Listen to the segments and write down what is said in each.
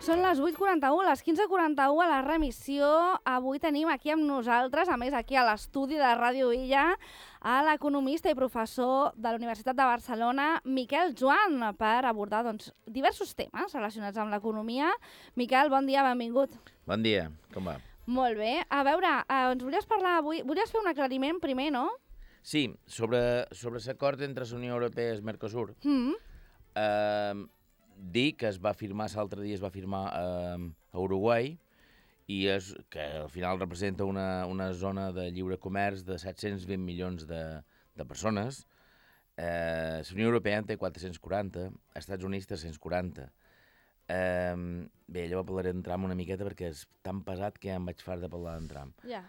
Són les 8:41, les 15:41 a la remissió. Avui tenim aquí amb nosaltres, a més aquí a l'estudi de Ràdio Illa, a l'economista i professor de la Universitat de Barcelona, Miquel Joan, per abordar diversos temes relacionats amb l'economia. Miquel, bon dia, benvingut. Bon dia, com va? Molt bé. A veure, ens volies parlar avui... Volies fer un aclariment primer, no? Sí, sobre l'acord entre la Unió Europea i el Mercosur. Dir que es va firmar, l'altre dia es va firmar a Uruguai, i que al final representa una zona de lliure comerç de 720 milions de persones. La Unió Europea en té 440, els Estats Units 340. Bé, llavors parlaré en tram una miqueta perquè és tan pesat que ja em vaig fart de parlar en tram. Ja.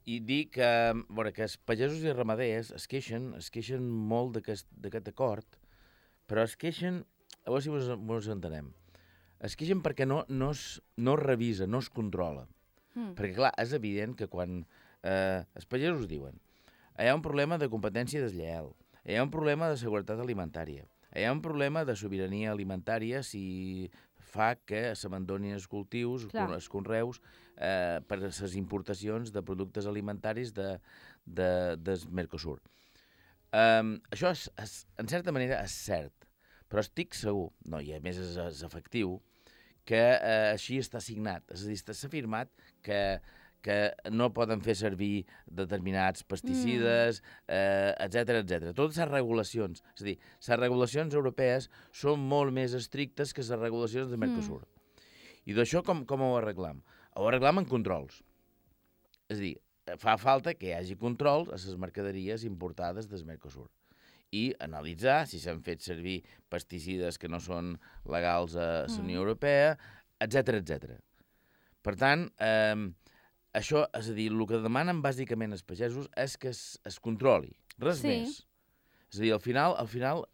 I dir que els pagesos i ramaders es queixen molt d'aquest acord, però es queixen, a veure si mos entenem, es queixen perquè no es revisa, no es controla. Perquè, clar, és evident que quan els pagesos diuen hi ha un problema de competència deslleial, hi ha un problema de seguretat alimentària, hi ha un problema de sobirania alimentària si fa que s'abandonin els cultius, els conreus, per les importacions de productes alimentaris del Mercosur. Això, en certa manera, és cert, però estic segur, i a més és efectiu, que així està signat. És a dir, s'ha afirmat que no poden fer servir determinats pesticides, etc. Totes les regulacions, és a dir, les regulacions europees són molt més estrictes que les regulacions del Mercosur. I d'això com ho arreglam? Ho arreglam en controls. És a dir, fa falta que hi hagi controls a les mercaderies importades del Mercosur i analitzar si s'han fet servir pesticides que no són legals a la Unió Europea, etc. Per tant, això, és a dir, el que demanen bàsicament els pagesos és que es controli, res més. És a dir, al final,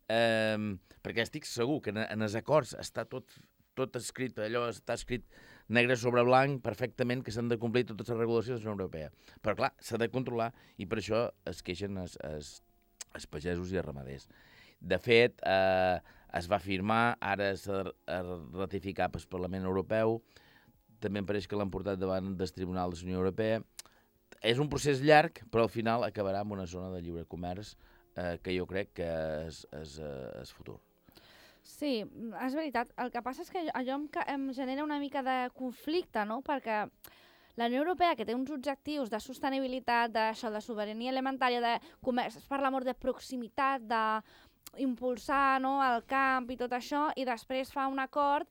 perquè estic segur que en els acords està tot escrit, allò està escrit negre sobre blanc perfectament que s'han de complir totes les regulacions de la Unió Europea. Però clar, s'ha de controlar i per això es queixen els pagesos i els ramaders. De fet, es va firmar, ara s'ha de ratificar pel Parlament Europeu, també em pareix que l'han portat davant del Tribunal de la Unió Europea. És un procés llarg, però al final acabarà amb una zona de lliure comerç que jo crec que és futur. Sí, és veritat. El que passa és que allò em genera una mica de conflicte, no? Perquè la Unió Europea, que té uns objectius de sostenibilitat, d'això, de sobirania alimentària, de comerç, es parla molt de proximitat, d'impulsar el camp i tot això, i després fa un acord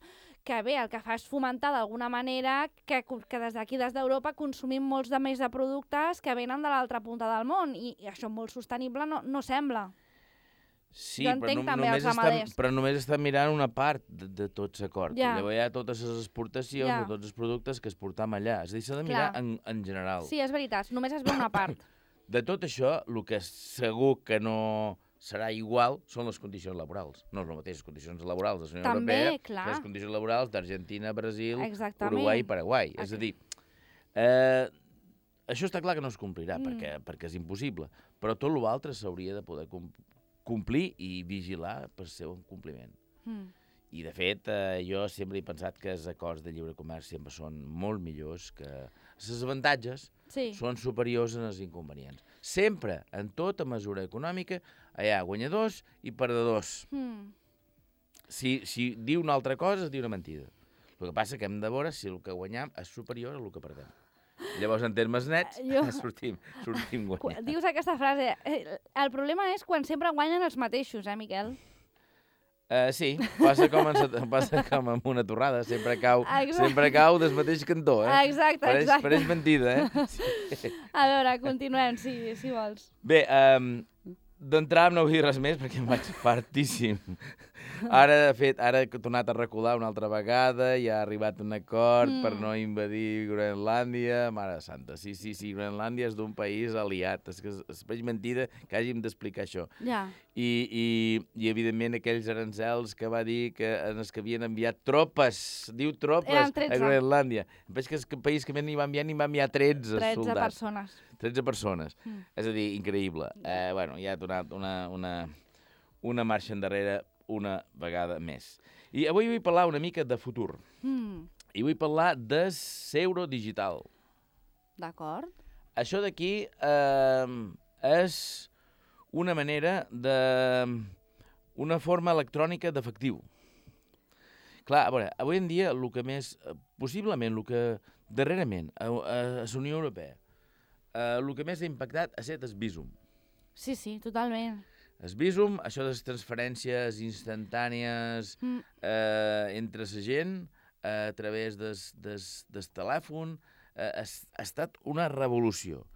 que bé, el que fa és fomentar d'alguna manera que des d'aquí, des d'Europa, consumim molts més de productes que venen de l'altra punta del món, i això molt sostenible no sembla. Sí, però només estan mirant una part de tot l'acord. Llavors hi ha totes les exportacions de tots els productes que exportam allà. És a dir, s'ha de mirar en general. Sí, és veritat, només es veu una part. De tot això, el que segur que no serà igual són les condicions laborals. No és les mateixes condicions laborals de la Unió Europea que les condicions laborals d'Argentina, Brasil, Uruguai i Paraguai. És a dir, això està clar que no es complirà perquè és impossible, però tot l'altre s'hauria de poder complir i vigilar pel seu compliment. I, de fet, jo sempre he pensat que els acords de lliure comerç sempre són molt millors, que els avantatges són superiors als inconvenients. Sempre, en tota mesura econòmica, hi ha guanyadors i perdedors. Si diu una altra cosa, es diu una mentida. El que passa que hem de veure si el que guanyam és superior a el que perdem. Llavors, en termes nets, sortim guanyant. Dius aquesta frase. El problema és quan sempre guanyen els mateixos, Miquel? Sí, passa com amb una torrada. Sempre cau del mateix cantó. Exacte. Pareix mentida, A veure, continuem, si vols. Bé, d'entrar no vull dir res més perquè em vaig fartíssim. Ara, de fet, he tornat a recular una altra vegada i ha arribat un acord per no invadir Groenlàndia. Mare santa, sí, Groenlàndia és d'un país aliat. És que es pareix mentida que hàgim d'explicar això. I, evidentment, aquells arancels que va dir que havien enviat tropes, diu tropes, a Groenlàndia. Em pareix que és el país que ni va enviar 13 soldats. 13 persones. 13 persones. És a dir, increïble. Hi ha donat una marxa endarrere una vegada més. I avui vull parlar una mica de futur. I vull parlar de Seuro Digital. D'acord. Això d'aquí és una manera de... una forma electrònica d'efectiu. Clar, a veure, avui en dia, el que més... possiblement, el que darrerament a la Unió Europea el que més ha impactat ha estat el Bizum. Sí, totalment. El Bizum, això de les transferències instantànies entre la gent a través del telèfon, ha estat una revolució.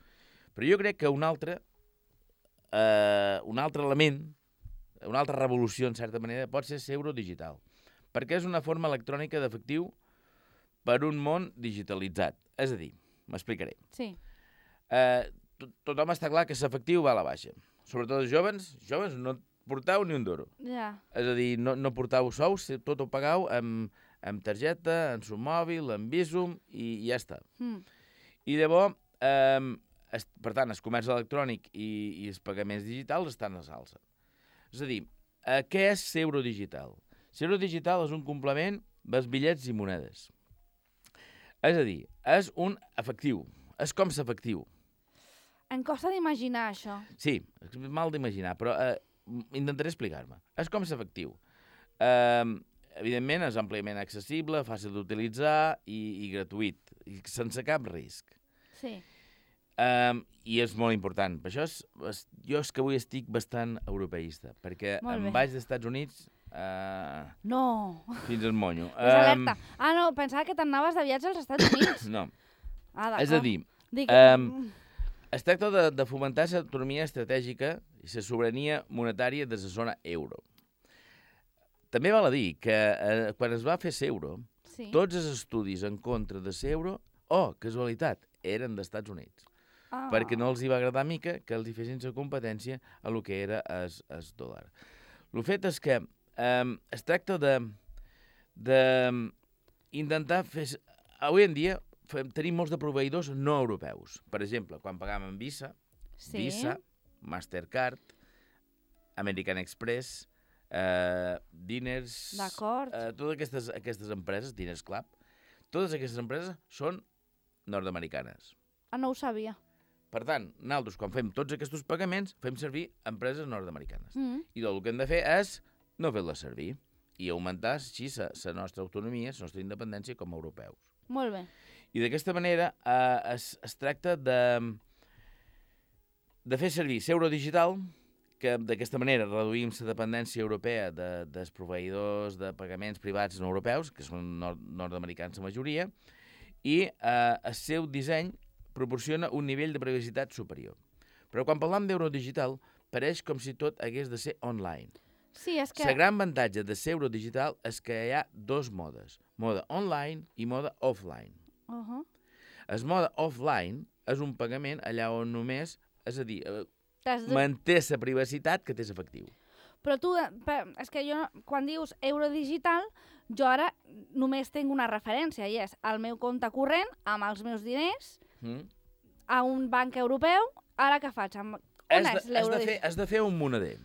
Però jo crec que un altre element, una altra revolució, en certa manera, pot ser Seuro Digital, perquè és una forma electrònica d'efectiu per un món digitalitzat. És a dir, m'explicaré. Sí. Tothom està clar que l'efectiu va a la baixa. Sobretot els joves no portau ni un duro. Ja. És a dir, no portau sous, tot ho pagau amb targeta, en su mòbil, en Bizum, i ja està. I llavors, per tant, el comerç electrònic i els pagaments digitals estan a l'alça. És a dir, què és Seuro Digital? Seuro Digital és un complement dels bitllets i monedes. És a dir, és un efectiu, és com l'efectiu. Em costa d'imaginar això. Sí, és mal d'imaginar, però intentaré explicar-me. És com l'efectiu. Evidentment, és àmpliament accessible, fàcil d'utilitzar i gratuït, i sense cap risc. Sí. I és molt important. Per això jo és que avui estic bastant europeista, perquè em vaig dels Estats Units no. Fins al monyo. És alerta. No, pensava que t'anaves de viatge als Estats Units. No. D'acord. És a dir, es tracta de fomentar l'autonomia estratègica i la sobirania monetària de la zona euro. També val a dir que quan es va fer l'euro, tots els estudis en contra de l'euro, casualitat, eren dels Estats Units. Perquè no els hi va agradar mica que els hi fessin la competència a lo que era el dòlar. El fet és que es tracta d'intentar fer... Avui en dia tenim molts de proveïdors no europeus. Per exemple, quan pagàvem amb Visa, Mastercard, American Express, Diners... Totes aquestes empreses, Diners Club, totes aquestes empreses són nord-americanes. No ho sabia. Per tant, nosaltres, quan fem tots aquests pagaments, fem servir empreses nord-americanes. I el que hem de fer és no fer-les servir i augmentar així la nostra autonomia, la nostra independència com a europeus. Molt bé. I d'aquesta manera es tracta de fer servir l'euro digital, que d'aquesta manera reduïm la dependència europea dels proveïdors de pagaments privats no europeus, que són nord-americans la majoria, i el seu disseny proporciona un nivell de privacitat superior. Però quan parlam d'euro digital, pareix com si tot hagués de ser online. Sí, és que... El gran avantatge de l'euro digital és que hi ha dos modes, mode online i mode offline. El mode offline és un pagament allà on només, és a dir, manté la privacitat que té l'efectiu. Però tu, és que jo, quan dius euro digital, jo ara només tinc una referència, i és el meu compte corrent amb els meus diners a un banc europeu. Ara què faig? On és l'euro digital? Has de fer un moneder.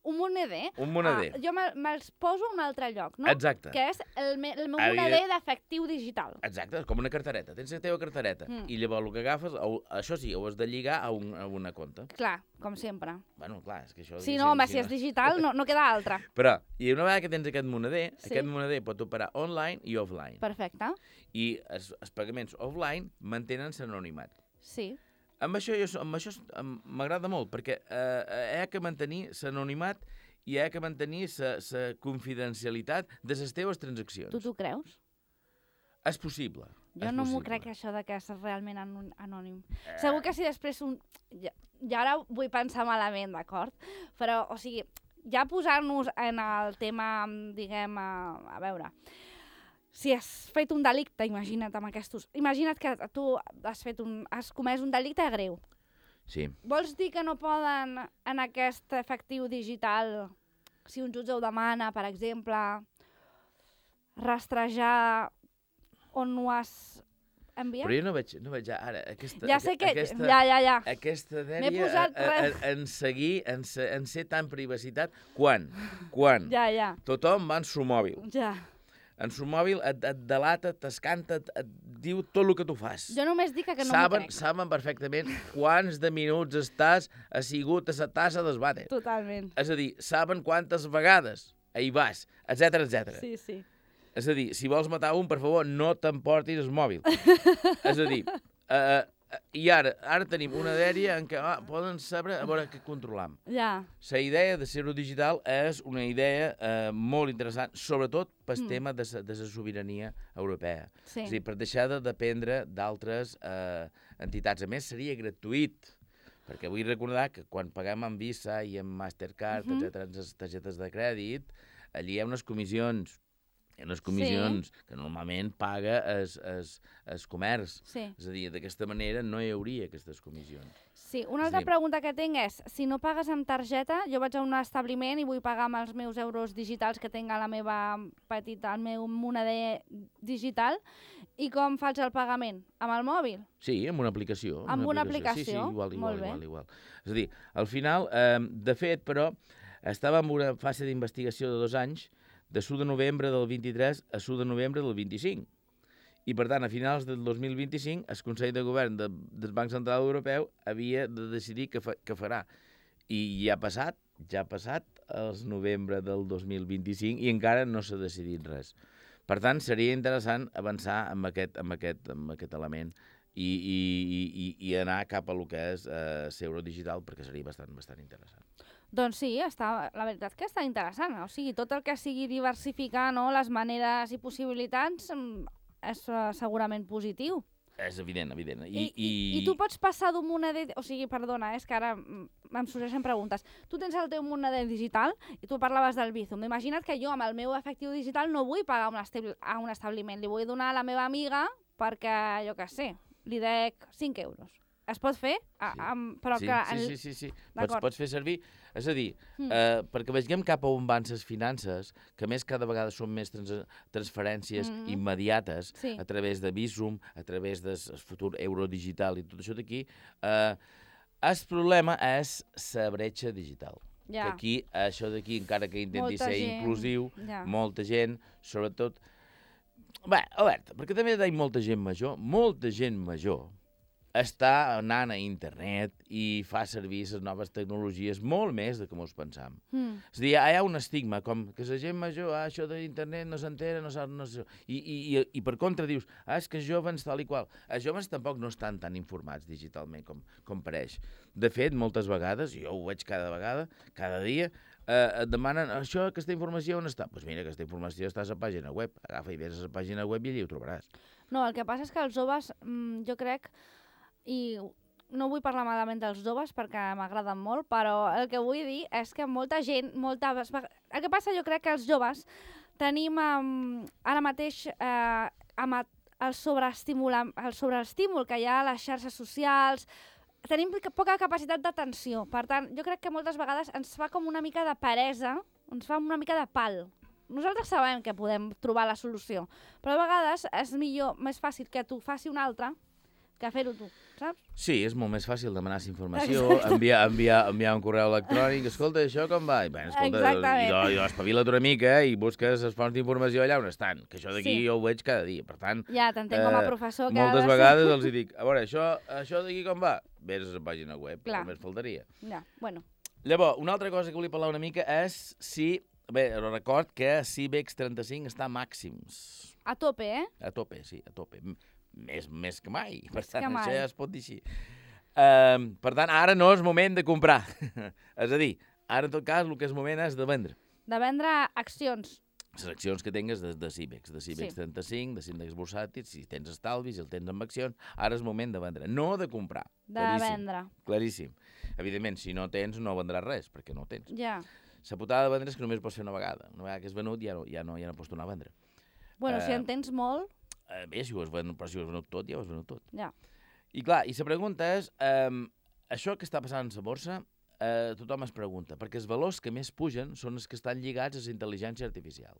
Un moneder? Un moneder. Jo me'ls poso a un altre lloc, no? Exacte. Que és el meu moneder d'efectiu digital. Exacte, com una cartereta. Tens la teva cartereta. I llavors el que agafes, això sí, ho has de lligar a una compte. Clar, com sempre. Bueno, clar, és que això... Sí, no, home, si és digital no queda altra. Però, i una vegada que tens aquest moneder pot operar online i offline. Perfecte. I els pagaments offline mantenen l'anonimat. Sí. Amb això m'agrada molt, perquè hi ha que mantenir l'anonimat i hi ha que mantenir la confidencialitat de les teves transaccions. Tu t'ho creus? És possible. Jo no m'ho crec, això de que és realment anònim. Segur que si després... Ja ara vull pensar malament, d'acord? Però, o sigui, ja posar-nos en el tema, diguem, a veure... Si has fet un delicte, imagina't amb aquests... Imagina't que tu has comès un delicte greu. Sí. Vols dir que no poden, en aquest efectiu digital, si un jutge ho demana, per exemple, rastrejar on ho has envia? Però jo no veig ara aquesta... Ja sé que... Ja. Aquesta M'he dèria posat en seguir, en ser tan privacitat. Quan? Ja. Tothom va en su mòbil. Ja. En su mòbil et delata, t'escanta, et diu tot el que tu fas. Jo només dic que no m'ho crec. Saben perfectament quants de minuts estàs assegut a la tassa del vàter. Totalment. És a dir, saben quantes vegades hi vas, etc. Sí. És a dir, si vols matar un, per favor, no t'emportis el mòbil. És a dir, i ara tenim una dèria en què poden saber a veure què controlam. Ja. La idea de ser-ho digital és una idea molt interessant, sobretot pel tema de la sobirania europea. Sí. És a dir, per deixar de dependre d'altres entitats. A més, seria gratuït, perquè vull recordar que quan paguem amb Visa i amb Mastercard, etc., les targetes de crèdit, allí hi ha unes comissions. Hi ha unes comissions que normalment paga el comerç. Sí. És a dir, d'aquesta manera no hi hauria aquestes comissions. Sí, una altra pregunta que tinc és, si no pagues amb targeta, jo vaig a un establiment i vull pagar amb els meus euros digitals que tinc a la meva el meu moneder digital, i com faig el pagament? Amb el mòbil? Sí, amb una aplicació. Amb una aplicació? Sí, igual. Molt És a dir, al final, de fet, però, estava en una fase d'investigació de 2 anys, de s'1 de novembre del 23 a s'1 de novembre del 25. I, per tant, a finals del 2025, el Consell de Govern del Banc Central Europeu havia de decidir què farà. I ja ha passat el novembre del 2025 i encara no s'ha decidit res. Per tant, seria interessant avançar amb aquest element i anar cap a lo que és l'euro digital, perquè seria bastant interessant. Doncs sí, la veritat que està interessant. O sigui, tot el que sigui diversificar, no, les maneres i possibilitats és segurament positiu. És evident. I tu pots passar d'un moneder... O sigui, perdona, és que ara em sorgeixen preguntes. Tu tens el teu moneder digital i tu parlaves del Bizum. Imagina't que jo amb el meu efectiu digital no vull pagar a un establiment. Li vull donar a la meva amiga perquè, jo què sé, li dec 5 euros. Es pot fer? Però sí. Pots fer servir. És a dir, perquè vegem cap a on van les finances, que més cada vegada són més transferències immediates a través de Bizum, a través del futur euro digital i tot això d'aquí, el problema és la bretxa digital. Que aquí, això d'aquí, encara que intenti ser inclusiu, molta gent, sobretot... Bé, alerta, perquè també hi ha molta gent major està anant a internet i fa servir les noves tecnologies molt més del que ens pensam. És a dir, hi ha un estigma, com que la gent major, això d'internet no s'entera, no sap... I per contra dius, és que els joves tal i qual. Els joves tampoc no estan tan informats digitalment com pareix. De fet, moltes vegades, jo ho veig cada dia, et demanen, aquesta informació on està? Doncs mira, aquesta informació està a la pàgina web. Agafa i vés a la pàgina web i allà ho trobaràs. No, el que passa és que els joves, jo crec... I no vull parlar malament dels joves perquè m'agraden molt, però el que vull dir és que molta gent... El que passa, jo crec que els joves tenim ara mateix amb el sobreestímul que hi ha a les xarxes socials, tenim poca capacitat d'atenció. Per tant, jo crec que moltes vegades ens fa com una mica de peresa, ens fa una mica de pal. Nosaltres sabem que podem trobar la solució, però a vegades és més fàcil que t'ho faci un altre que fer-ho tu, saps? Sí, és molt més fàcil demanar informació, enviar un correu electrònic, escolta, això com va? I, bé, escolta, i espavila't una mica i busques les fonts d'informació allà on estan, que això d'aquí jo ho veig cada dia, per tant... Ja, t'entenc com a professor que... Moltes vegades els dic, a veure, això d'aquí com va? Vés a la pàgina web, només faltaria. Ja, bueno. Llavors, una altra cosa que volia parlar una mica és si... Bé, record que l'IBEX 35 està a màxims. A tope, eh? A tope, sí, a tope. Més que mai, per tant, això ja es pot dir així. Per tant, ara no és moment de comprar. És a dir, ara en tot cas el que és moment és de vendre. De vendre accions. Les accions que tingues de CIBEX 35, de l'índex bursàtil, si tens estalvis, si el tens amb accions, ara és moment de vendre, no de comprar. De vendre. Claríssim. Evidentment, si no tens, no vendràs res, perquè no tens. Ja. La putada de vendre és que només pots fer una vegada. Una vegada que és venut ja no pots tornar a vendre. Bueno, si en tens molt... Bé, si ho has venut tot, ja ho has venut tot. Ja. I clar, i la pregunta és, això que està passant a la borsa, tothom es pregunta, perquè els valors que més pugen són els que estan lligats a la intel·ligència artificial.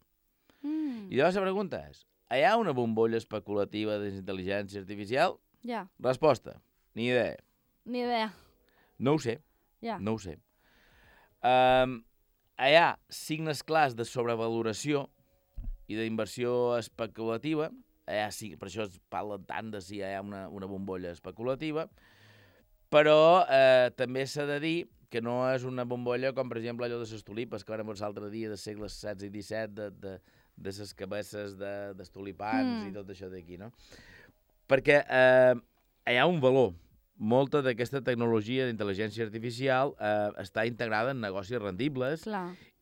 I llavors la pregunta és, hi ha una bombolla especulativa d'intel·ligència artificial? Ja, Resposta, ni idea. ni idea. No ho sé, Ja. no ho sé. Hi ha signes clars de sobrevaloració i d'inversió especulativa, per això es parla tant de si hi ha una bombolla especulativa, però també s'ha de dir que no és una bombolla com, per exemple, allò de les tulipes, que vam veure l'altre dia de segles XVI i XVII, de les cabesses dels tulipans i tot això d'aquí, no? Perquè hi ha un valor. Molta d'aquesta tecnologia d'intel·ligència artificial està integrada en negocis rendibles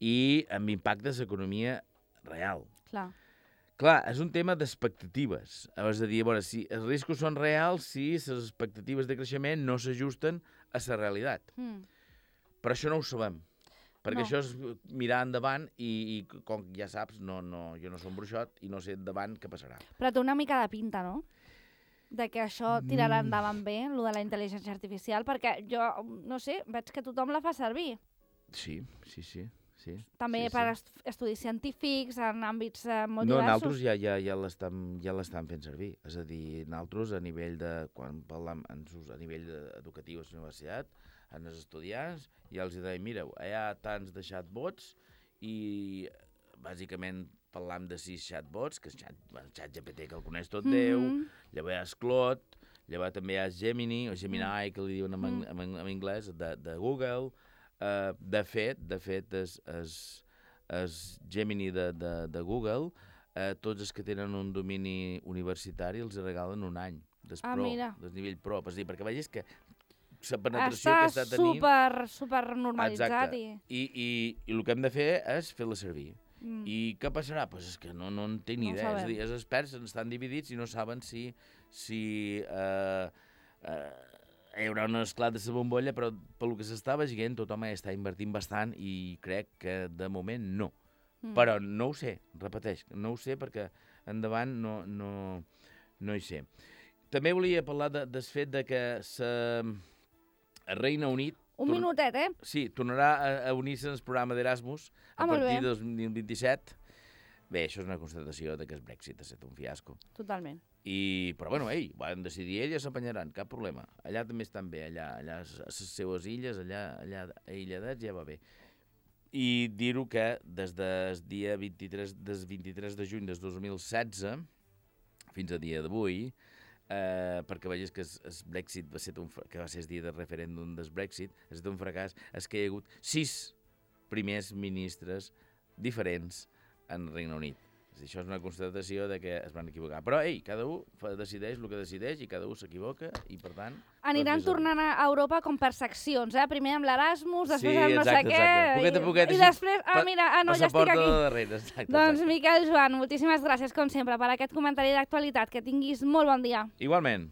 i amb impactes a l'economia real. Clar, és un tema d'expectatives. És a dir, si els riscos són reals, si les expectatives de creixement no s'ajusten a la realitat. Però això no ho sabem, perquè això és mirar endavant i com ja saps, jo no soc un bruixot i no sé endavant què passarà. Però té una mica de pinta, no? De que això tirarà endavant bé, el de la intel·ligència artificial, perquè jo, no sé, veig que tothom la fa servir. Sí. També per estudis científics, en àmbits molt diversos. diversos. Nosaltres ja l'estan fent servir. És a dir, nosaltres, a nivell quan parlem a nivell educatiu a la universitat, en els estudiants, ja els deia, mireu, hi ha tants de chatbots i bàsicament parlam de 6 chatbots, que és ChatGPT, que el coneix tot Déu, llavors hi ha Claude, llavors també hi ha Gemini, o Gemini, que li diuen en anglès, de Google. De fet, el Gemini de Google, tots els que tenen un domini universitari els regalen un any del nivell pro. És a dir, perquè vegis que la penetració que està tenint... Està super normalitzat. Exacte. I el que hem de fer és fer-la servir. I què passarà? Doncs és que no en tinc ni idea. És a dir, els experts estan dividits i no saben si hi haurà un esclat de la bombolla, però pel que s'està veient tothom hi està invertint bastant i crec que de moment no. Però no ho sé, repeteix, no ho sé perquè endavant no hi sé. També volia parlar del fet de que el Regne Unit... Un minutet, Sí, tornarà a unir-se al programa d'Erasmus a partir del 2027. Bé, això és una constatació que el Brexit ha estat un fiasco. Totalment. Però bueno, van decidir ells, s'apanyaran, cap problema. Allà també estan bé, allà a les seues illes, allà aïlladets ja va bé. I dir-ho que des del 23 de juny del 2016 fins a dia d'avui, perquè vegis que el Brexit que va ser el dia del referèndum del Brexit, ha estat un fracàs, és que hi ha hagut 6 primers ministres diferents en Regne Unit. Això és una constatació de que es van equivocar. Però, cada un decideix el que decideix i cada un s'equivoca i, per tant... Aniran tornant a Europa com per seccions, Primer amb l'Erasmus, després amb no sé què... Poquet a poquet. I després, ja estic aquí. Darrere, doncs, Miquel Joan, moltíssimes gràcies, com sempre, per aquest comentari d'actualitat. Que tinguis molt bon dia. Igualment.